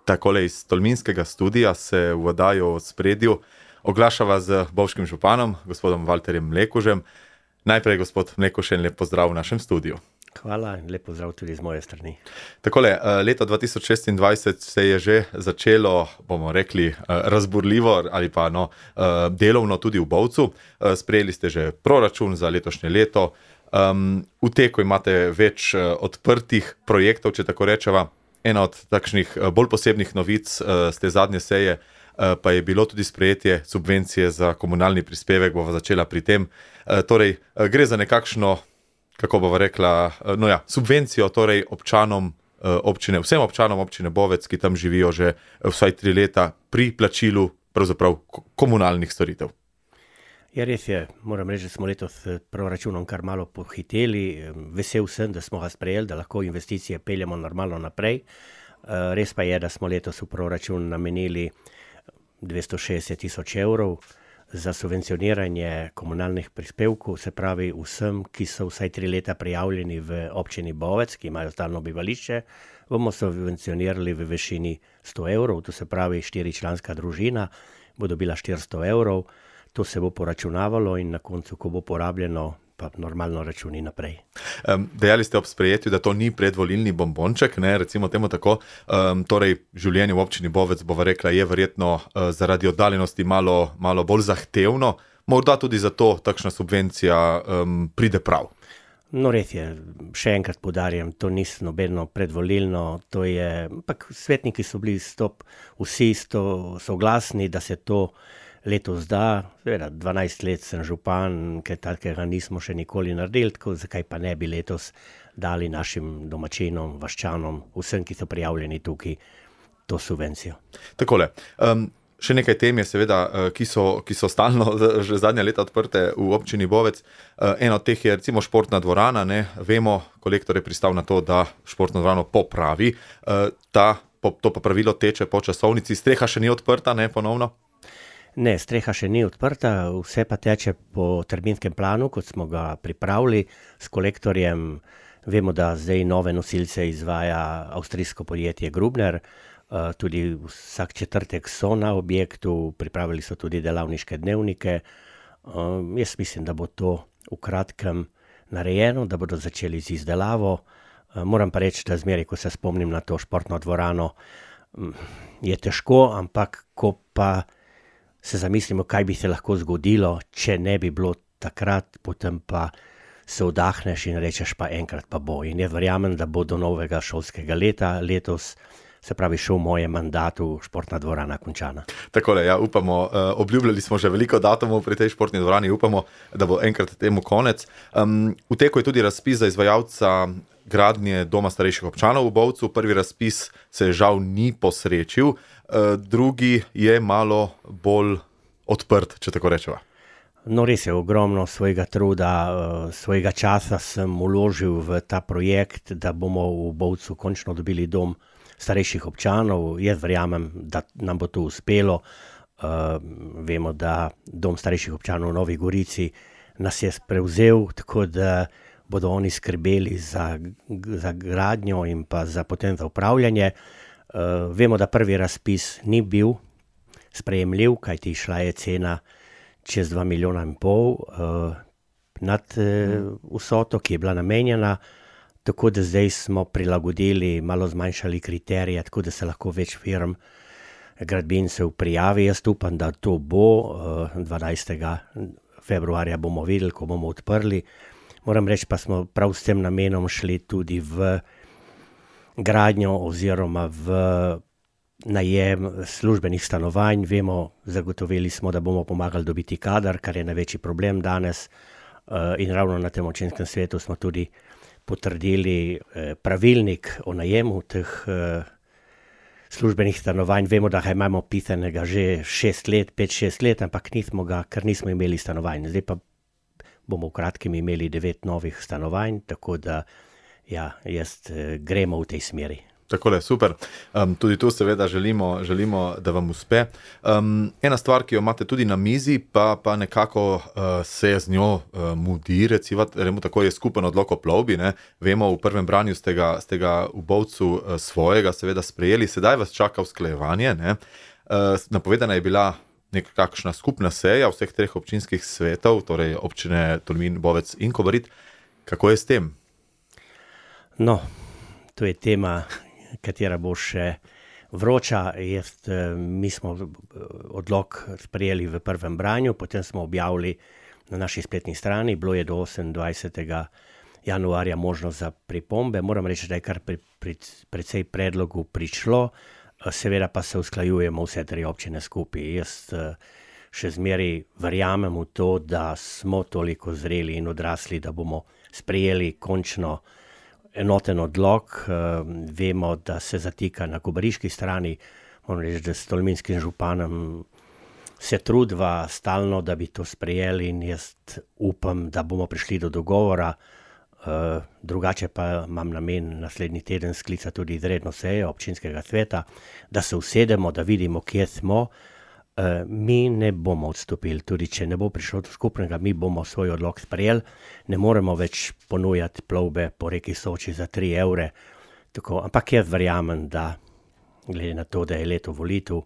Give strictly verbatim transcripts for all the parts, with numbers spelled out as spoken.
Takole iz Tolminskega studija se v oddajo v spredju oglašava z bovškim županom, gospodom Valterjem Mlekužem. Najprej, gospod Mlekuž, en lep pozdrav v našem studiu. Hvala in lep pozdrav tudi z moje strani. Takole, leto dva tisoč šestindvajset se je že začelo, bomo rekli, razburljivo ali pa no, delovno tudi v Bovcu. Sprejeli ste že proračun za letošnje leto. V teku imate več odprtih projektov, če tako rečeva. Ena od takšnih bolj posebnih novic z te zadnje seje pa je bilo tudi sprejetje subvencije za komunalni prispevek, bova začela pri tem. Torej, gre za nekakšno, kako bova rekla, no ja, subvencijo torej občanom občine, vsem občanom občine Bovec, ki tam živijo že vsaj tri leta pri plačilu pravzaprav komunalnih storitev. Ja, res je, moram reči, da smo letos s proračunom kar malo pohiteli. Vesel sem, da smo ga sprejeli, da lahko investicije peljemo normalno naprej. Res pa je, da smo letos v proračun namenili dvesto šestdeset tisoč evrov za subvencioniranje komunalnih prispevkov, se pravi vsem, ki so vsaj tri leta prijavljeni v občini Bovec, ki imajo stalno bivališče, bomo subvencionirali v višini sto evrov, to se pravi štiričlanska družina bo dobila štiristo evrov. To se bo poračunavalo in na koncu, ko bo porabljeno, pa normalno računi naprej. Um, dejali ste ob sprejetju, da to ni predvolilni bombonček, ne, recimo temu tako. Um, torej, življenje v občini Bovec, bova rekla, je verjetno uh, zaradi oddaljenosti malo, malo bolj zahtevno. Morda tudi zato takšna subvencija um, pride prav. No, res je, še enkrat poudarjam, to ni nobeno predvolilno, to je, ampak svetniki so bili stop, vsi sto soglasni, da se to letos da. Seveda, dvanajst let sem župan, kaj takega nismo še nikoli naredili, tako zakaj pa ne bi letos dali našim domačinom, vaščanom, vsem, ki so prijavljeni tukaj, to subvencijo. Takole, um, še nekaj tem je seveda, ki so, ki so stalno že zadnja leta odprte v občini Bovec. Eno od teh je recimo športna dvorana, ne, vemo, kolektor je pristal na to, da športno dvorano popravi. Ta, to popravilo teče po časovnici, streha še ni odprta, ne, ponovno? Ne, streha še ni odprta, vse pa teče po terminskem planu, kot smo ga pripravili s kolektorjem. Vemo, da zdaj nove nosilce izvaja avstrijsko podjetje Grubner, tudi vsak četrtek so na objektu, pripravili so tudi delavniške dnevnike. Jaz mislim, da bo to v kratkem narejeno, da bodo začeli z izdelavo. Moram pa reči, da zmeraj, ko se spomnim na to športno dvorano, je težko, ampak ko pa se zamislimo, kaj bi se lahko zgodilo, če ne bi bilo takrat, potem pa se vdahneš in rečeš pa enkrat pa bo. In jaz verjamem, da bo do novega šolskega leta letos, se pravi še v mojem mandatu, športna dvorana končana. Takole, ja, upamo, obljubljali smo že veliko datumov pri tej športni dvorani, upamo, da bo enkrat temu konec. Um, v teku je tudi razpis za izvajalca gradnje doma starejših občanov v Bovcu. Prvi razpis se žal ni posrečil, drugi je malo bolj odprt, če tako rečeva. No, res je, ogromno svojega truda, svojega časa sem vložil v ta projekt, da bomo v Bovcu končno dobili dom starejših občanov. Jaz verjamem, da nam bo to uspelo. Uh, vemo, da dom starejših občanov v Novi Gorici nas je prevzel, tako da bodo oni skrbeli za, za gradnjo in pa za potem za upravljanje. Uh, vemo, da prvi razpis ni bil sprejemljiv, kajti šla je cena čez dva milijona in pol uh, nad uh, vsoto, ki je bila namenjena, tako da zdaj smo prilagodili, malo zmanjšali kriterije, tako da se lahko več firm gradbincev prijavi. Jaz upam, da to bo, uh, dvanajstega februarja bomo videli, ko bomo odprli. Moram reči, pa smo prav s tem namenom šli tudi v gradnjo oziroma v najem službenih stanovanj. Vemo, zagotovili smo, da bomo pomagali dobiti kadar, kar je največji problem danes. In ravno na tem občinskem svetu smo tudi potrdili pravilnik o najemu teh službenih stanovanj. Vemo, da ga imamo pisanega že šest let, pet, šest let, ampak nismo ga, ker nismo imeli stanovanj. Zdaj pa bomo v kratkem imeli devet novih stanovanj, tako da ja, jaz gremo v tej smeri. Takole, super. Um, tudi tu seveda želimo, želimo, da vam uspe. Um, ena stvar, ki jo imate tudi na mizi, pa, pa nekako uh, se z njo uh, mudi, recimo, tako je skupen odlok o plovbi. Ne? Vemo, v prvem branju ste ga, ste ga v Bovcu uh, svojega seveda sprejeli, sedaj vas čaka usklajevanje. Ne? Uh, napovedana je bila nekakšna skupna seja vseh treh občinskih svetov, torej občine Tolmin, Bovec in Kobarid. Kako je s tem? No, to je tema, katera bo še vroča. Jaz, mi smo odlok sprejeli v prvem branju, potem smo objavili na naši spletni strani, bilo je do osemindvajsetega januarja možnost za pripombe. Moram reči, da je kar pri, pri, precej predlogu prišlo, seveda pa se usklajujemo vse tri občine skupaj. Jaz še zmeraj verjamem v to, da smo toliko zreli in odrasli, da bomo sprejeli končno enoten odlok. Vemo, da se zatika na kobariški strani, moram reči, da s tolminskim županom se trudva stalno, da bi to sprejeli, in jaz upam, da bomo prišli do dogovora. Drugače pa imam namen naslednji teden sklicati tudi izredno sejo občinskega sveta, da se usedemo, da vidimo, kje smo. Mi ne bomo odstopili, tudi če ne bo prišlo do skupnega, mi bomo svoj odlok sprejeli. Ne moremo več ponujati plovbe po reki Soči za tri evre. Tako, ampak jaz verjamem, da glede na to, da je leto volitev,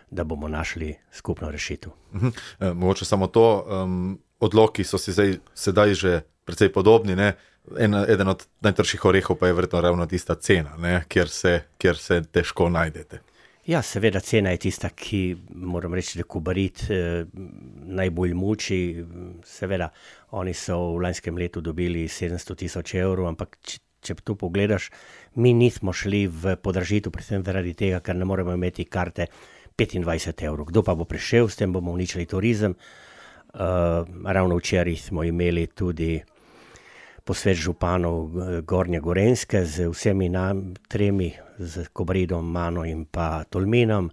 da bomo našli skupno rešitev. Mhm. E, mogoče samo to, um, odloki so si zdaj, sedaj že precej podobni, ne? En, eden od najtrših orehov pa je verjetno ravno tista cena, ne? Kjer se, kjer se težko najdete. Ja, seveda cena je tista, ki moram reči, da Kobarid eh, najbolj muči. Seveda, oni so v lanskem letu dobili sedemsto tisoč evrov, ampak če, če to pogledaš, mi nismo šli v podražitev, predvsem zaradi tega, ker ne moremo imeti karte petindvajset evrov. Kdo pa bo prišel, s tem bomo uničili turizem. Uh, ravno včeraj smo imeli tudi posvet županov Gornje Gorenjske z vsemi nam tremi, z Kobaridom, mano in pa Tolminom,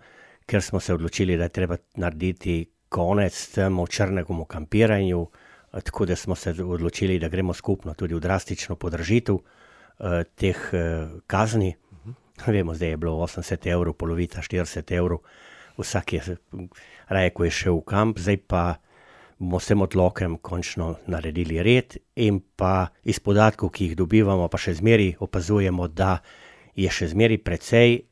ker smo se odločili, da je treba narediti konec temu črnemu kampiranju, tako da smo se odločili, da gremo skupno tudi v drastično podražitev uh, teh uh, kazni. Uh-huh. Vemo, zdaj je bilo osemdeset evrov, polovica štirideset evrov, vsak je raje, ko je šel v kamp, zdaj pa bomo s tem odlokem končno naredili red, in pa iz podatkov, ki jih dobivamo, pa še zmeraj opazujemo, da je še zmeraj precej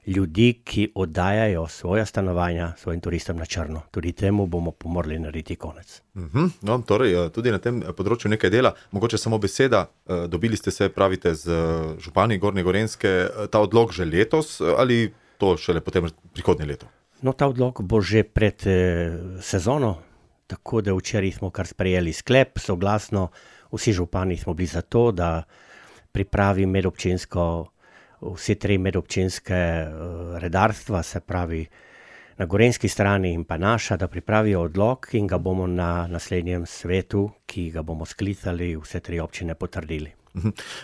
ljudi, ki oddajajo svoja stanovanja svojim turistom na črno. Tudi temu bomo pomorali narediti konec. Uh-huh. No, torej, tudi na tem področju nekaj dela. Mogoče samo beseda, dobili ste se, pravite, z župani Gornje Gorenjske, ta odlok že letos ali to šele potem prihodnje leto? No, ta odlok bo že pred eh, sezono, tako da včeraj smo kar sprejeli sklep, soglasno, vsi župani smo bili za to, da pripravi medobčinsko, vse tri medobčinske uh, redarstva, se pravi na gorenjski strani in pa naša, da pripravijo odlok in ga bomo na naslednjem svetu, ki ga bomo sklicali, vse tri občine potrdili.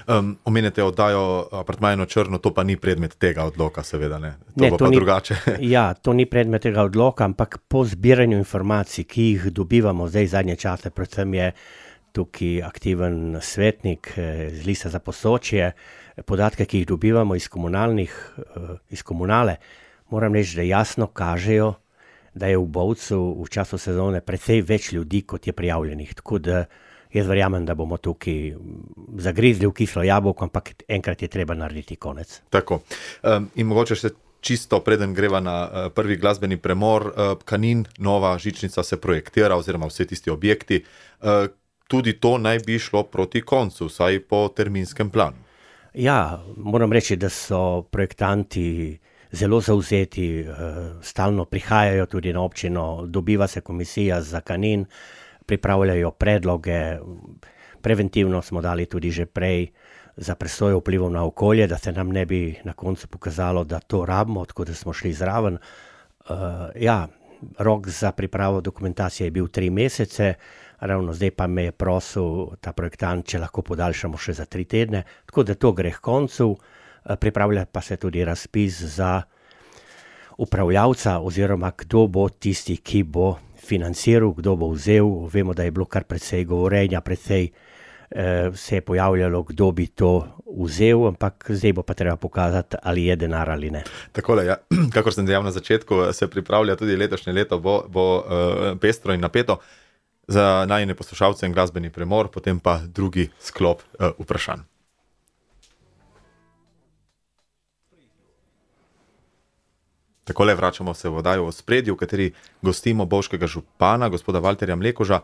Um, omenjate oddajo apartmaja na črno, to pa ni predmet tega odloka, seveda ne. To ne, bo to pa ni, drugače. Ja, to ni predmet tega odloka, ampak po zbiranju informacij, ki jih dobivamo zdaj zadnje čase, predvsem je tukaj aktiven svetnik z Lista za Posočje, podatke, ki jih dobivamo iz komunalnih, iz komunale, moram reči, da jasno kažejo, da je v Bovcu v času sezone precej več ljudi, kot je prijavljenih. Tako da jaz verjamem, da bomo tukaj zagrizli v kislo jabolko, ampak enkrat je treba narediti konec. Tako. Um, in mogoče še čisto preden greva na uh, prvi glasbeni premor, uh, Kanin, nova žičnica se projektira oziroma vse tisti objekti. Uh, tudi to naj bi šlo proti koncu, vsaj po terminskem planu. Ja, moram reči, da so projektanti zelo zavzeti, uh, stalno prihajajo tudi na občino, dobiva se komisija za Kanin, pripravljajo predloge, preventivno smo dali tudi že prej za presojo vplivov na okolje, da se nam ne bi na koncu pokazalo, da to rabimo, tako da smo šli zraven. Uh, ja, rok za pripravo dokumentacije je bil tri mesece, ravno zdaj pa me je prosil ta projektant, če lahko podaljšamo še za tri tedne, tako da to gre k koncu. Uh, pripravlja pa se tudi razpis za upravljavca oziroma kdo bo tisti, ki bo financiral, kdo bo vzel. Vemo, da je bilo kar precej govorenja, precej se je pojavljalo, kdo bi to vzel, ampak zdaj bo pa treba pokazati, ali je denar ali ne. Takole, ja, kakor sem dejal na začetku, se pripravlja tudi letošnje leto, bo, bo uh, pestro in napeto za najine poslušalce in glasbeni premor, potem pa drugi sklop uh, vprašanj. Takole vračamo se v oddajo v Ospredju, v kateri gostimo bovškega župana, gospoda Valterja Mlekuža.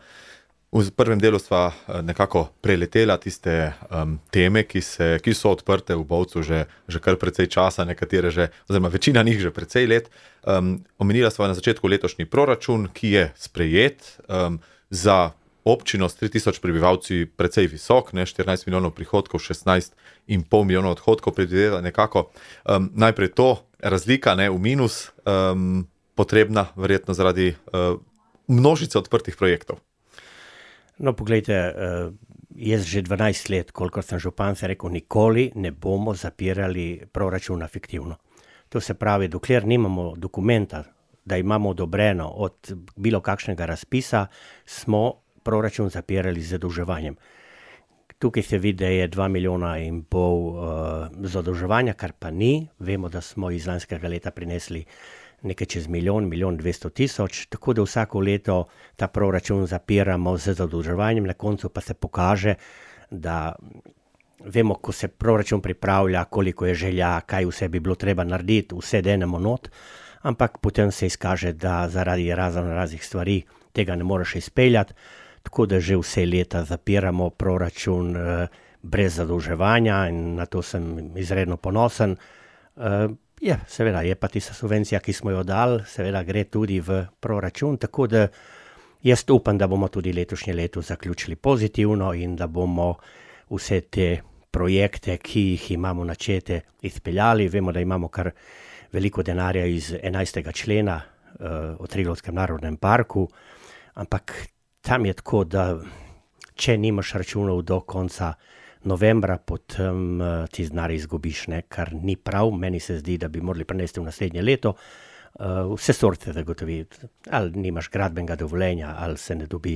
V prvem delu sva nekako preletela tiste um, teme, ki, se, ki so odprte v Bovcu že, že kar precej časa, nekatere že, oziroma večina njih že precej let. Um, omenila sva na začetku letošnji proračun, ki je sprejet um, za občino s tri tisoč prebivalci precej visok, ne, štirinajst milijonov prihodkov, šestnajst in pol milijonov odhodkov, predvideva nekako um, najprej to, razlika ne, v minus, um, potrebna verjetno zaradi uh, množice odprtih projektov. No, poglejte, jaz že dvanajst let, kolikor sem župan, se rekel, nikoli ne bomo zapirali proračuna fiktivno. To se pravi, dokler nimamo dokumenta, da imamo odobreno od bilo kakšnega razpisa, smo proračun zapirali z zadolževanjem. Tukaj se vidi, da je dva milijona in pol uh, zadolževanja, kar pa ni. Vemo, da smo iz lanskega leta prinesli nekaj čez milijon, milijon dvesto tisoč, tako da vsako leto ta proračun zapiramo z zadolževanjem, na koncu pa se pokaže, da vemo, ko se proračun pripravlja, koliko je želja, kaj vse bi bilo treba narediti, vse denemo not, ampak potem se izkaže, da zaradi razno raznih stvari tega ne moreš izpeljati, tako da že vse leta zapiramo proračun eh, brez zadolževanja in na to sem izredno ponosen. Eh, Je, seveda, je pa tista subvencija, ki smo jo dali, seveda gre tudi v proračun, tako da jaz upam, da bomo tudi letošnje leto zaključili pozitivno in da bomo vse te projekte, ki jih imamo načete, izpeljali. Vemo, da imamo kar veliko denarja iz enajstega člena uh, o Triglavskem narodnem parku, ampak tam je tako, da če nimaš računov do konca novembra, potem uh, ti denar izgubiš, ne, kar ni prav. Meni se zdi, da bi morali prenesti v naslednje leto. Uh, vse sorte zagotoviti. Ali nimaš gradbenega dovoljenja, ali se ne dobi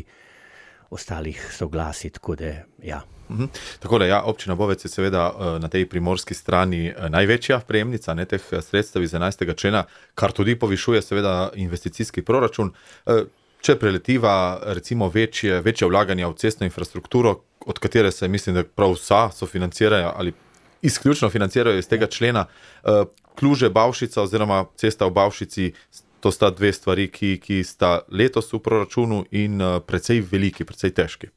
ostalih soglasij, tako da, ja. Mhm. Tako da, ja, občina Bovec je seveda uh, na tej primorski strani uh, največja prejemnica ne, teh sredstev iz enajstega člena, kar tudi povišuje seveda investicijski proračun. Uh, če preletiva recimo večje, večje vlaganja v cestno infrastrukturo, od katere se mislim, da prav vsa sofinancirajo ali izključno financirajo iz tega člena. Kluže Bavšica oziroma cesta v Bavšici, to sta dve stvari, ki, ki sta letos v proračunu in precej veliki, precej težki.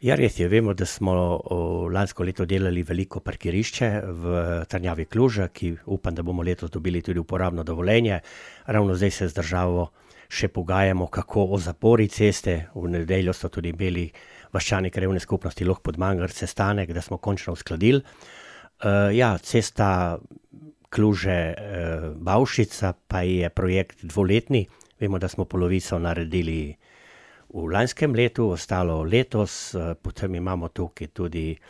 Ja, res je, vemo, da smo lansko leto delali veliko parkirišče v Trnjavi Kluža, ki upam, da bomo letos dobili tudi uporabno dovoljenje. Ravno zdaj se z državo še pogajamo, kako o zapori ceste. V nedeljo so tudi imeli vaščani krajevne skupnosti Loh Podmangrt sestanek, da smo končno uskladili. Uh, ja, cesta Kluže-Bavšica pa je projekt dvoletni. Vemo, da smo polovico naredili v lanskem letu, ostalo letos. Uh, potem imamo tukaj tudi uh,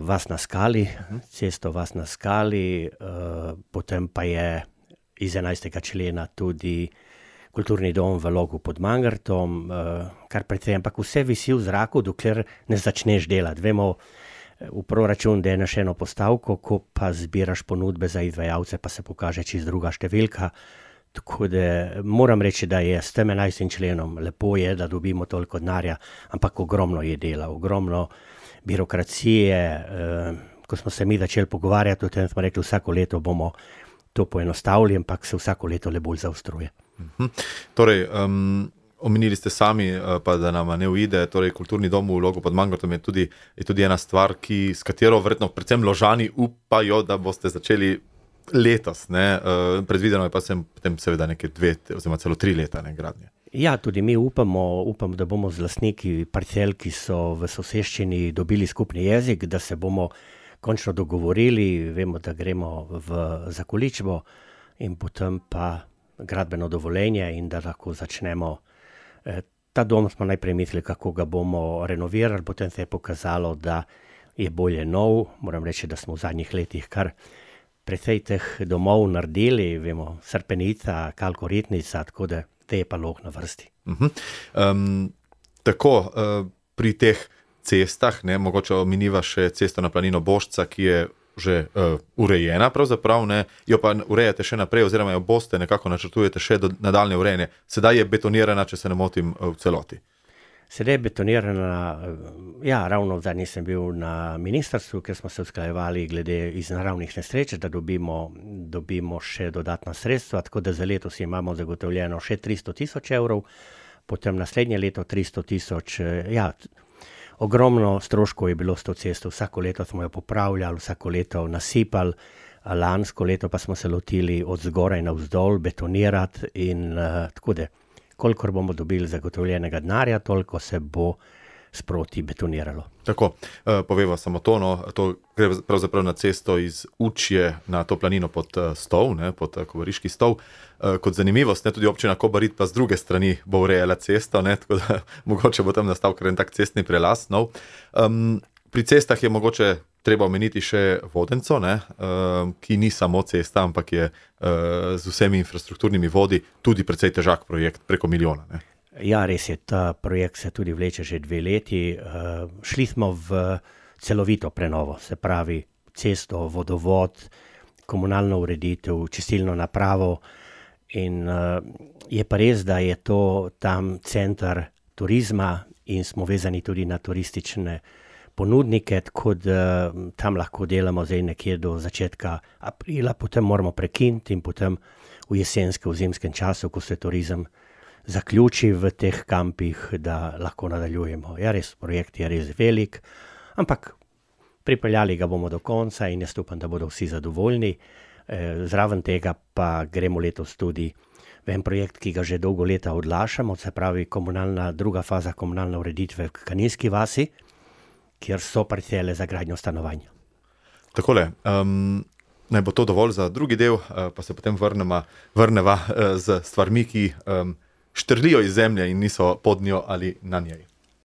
Vas na skali, cesto Vas na skali, uh, potem pa je iz enajstega člena tudi kulturni dom v Logu pod Mangartom, kar precej, ampak vse visi v zraku, dokler ne začneš delati. Vemo v proračun, da je na še eno postavko, ko pa zbiraš ponudbe za izvajalce, pa se pokaže čisto druga številka. Tako da moram reči, da je s tem enajstim členom lepo je, da dobimo toliko denarja, ampak ogromno je dela, ogromno birokracije. Ko smo se mi začeli pogovarjati, o tem smo rekli, vsako leto bomo to poenostavili, ampak se vsako leto le bolj zaostruje. Mhm. Torej, um, omenili ste sami, pa da nam ne uide, torej kulturni dom v Logu pod Mangartom je tudi, je tudi ena stvar, ki, s katero verjetno predvsem Ložani upajo, da boste začeli letos, ne? Uh, predvideno je pa sem potem seveda neke dve, oziroma celo tri leta ne, gradnje. Ja, tudi mi upamo, upamo, da bomo z lastniki parcel, ki so v soseščini dobili skupni jezik, da se bomo končno dogovorili, vemo, da gremo v zakoličbo in potem pa gradbeno dovoljenje in da lahko začnemo. Ta dom smo najprej mislili, kako ga bomo renovirali, potem se je pokazalo, da je bolje nov. Moram reči, da smo v zadnjih letih kar precej teh domov naredili, vemo, Srpenica, Kalkoritnica, tako da te je pa Log na vrsti. Uh-huh. Um, tako, uh, pri teh cestah, ne, mogoče omeniva še cesto na planino Bošca, ki je že uh, urejena pravzaprav, ne, jo pa urejate še naprej, oziroma jo boste nekako načrtujete še do nadaljne urejene. Sedaj je betonirana, če se ne motim, v celoti. Sedaj je betonirana, ja, ravno zadnji sem bil na ministrstvu, ker smo se usklajevali glede iz naravnih nesreč, da dobimo, dobimo še dodatna sredstva, tako da za letos imamo zagotovljeno še tristo tisoč evrov, potem naslednje leto tristo tisoč, ja, ogromno stroškov je bilo s to cesto, vsako leto smo jo popravljali, vsako leto nasipali, lansko leto pa smo se lotili od zgoraj navzdol betonirati in uh, tako da, kolikor bomo dobili zagotovljenega denarja, toliko se bo sproti betoniralo. Tako, uh, poveva samo to, no, to gre pravzaprav na cesto iz Učje na to planino pod uh, Stol, ne, pod uh, Kobariški Stol. Uh, kot zanimivost, ne, tudi občina Kobarid pa z druge strani bo urejala cesto, ne, tako da mogoče bo tam nastal kar en tak cestni prelaz. No. Um, pri cestah je mogoče treba omeniti še Vodenco, ne, uh, ki ni samo cesta, ampak je uh, z vsemi infrastrukturnimi vodi tudi precej težak projekt, preko milijona. Ne. Ja, res je, ta projekt se tudi vleče že dve leti. Uh, šli smo v celovito prenovo, se pravi cesto, vodovod, komunalno ureditev, čistilno napravo in uh, je pa res, da je to tam center turizma in smo vezani tudi na turistične ponudnike, tako da tam lahko delamo zdaj nekje do začetka aprila, potem moramo prekiniti in potem v jesenskem, v zimskem času, ko se turizem zaključi v teh kampih, da lahko nadaljujemo. Ja, res, projekt je res velik, ampak pripeljali ga bomo do konca in jaz upam, da bodo vsi zadovoljni. E, zraven tega pa gremo letos tudi v en projekt, ki ga že dolgo leta odlašamo, se pravi komunalna, druga faza komunalne ureditve v Kaninski vasi, kjer so parcele za gradnjo stanovanja. Takole, um, naj bo to dovolj za drugi del, uh, pa se potem vrnema, vrneva uh, z stvarmi, ki um, štrlijo iz zemlje in niso pod njo ali na njej.